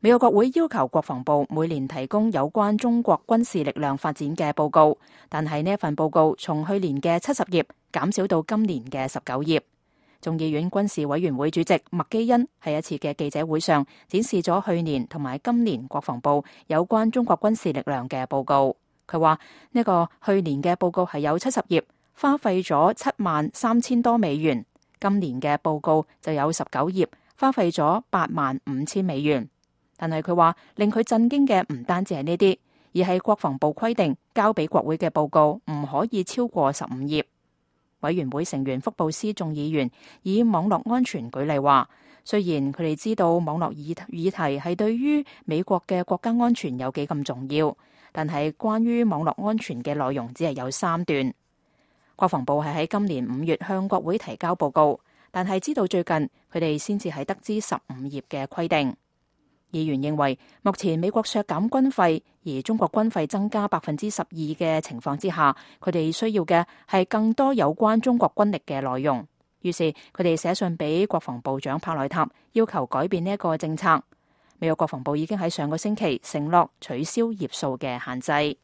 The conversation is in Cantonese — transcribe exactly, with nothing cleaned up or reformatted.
美國國會要求國防部每年提供有關中國軍事力量發展嘅報告，但係呢一份報告從去年嘅七十頁減少到今年嘅十九頁。眾議院軍事委員會主席麥基恩喺一次嘅記者會上展示咗去年同埋今年國防部有關中國軍事力量嘅報告。佢話呢個去年嘅報告係有七十頁，花費咗七萬三千多美元；今年嘅報告就有十九頁，花費咗八萬五千美元。但係佢話令佢震驚嘅唔單止係呢啲，而係國防部規定交俾國會嘅報告唔可以超過十五頁。委員會成員福布斯眾議員以網絡安全舉例話，雖然佢哋知道網絡議議題係對於美國嘅國家安全有幾咁重要，但係關於網絡安全嘅內容只係有三段。國防部係喺今年五月向國會提交報告，但係知道最近佢哋先至係得知十五頁嘅規定。議員認為，目前美國削減軍費，而中國軍費增加百分之十二嘅情況之下，佢哋需要嘅係更多有關中國軍力嘅內容。於是佢哋寫信俾國防部長帕內塔，要求改變呢一個政策。美國國防部已經喺上個星期承諾取消頁數嘅限制。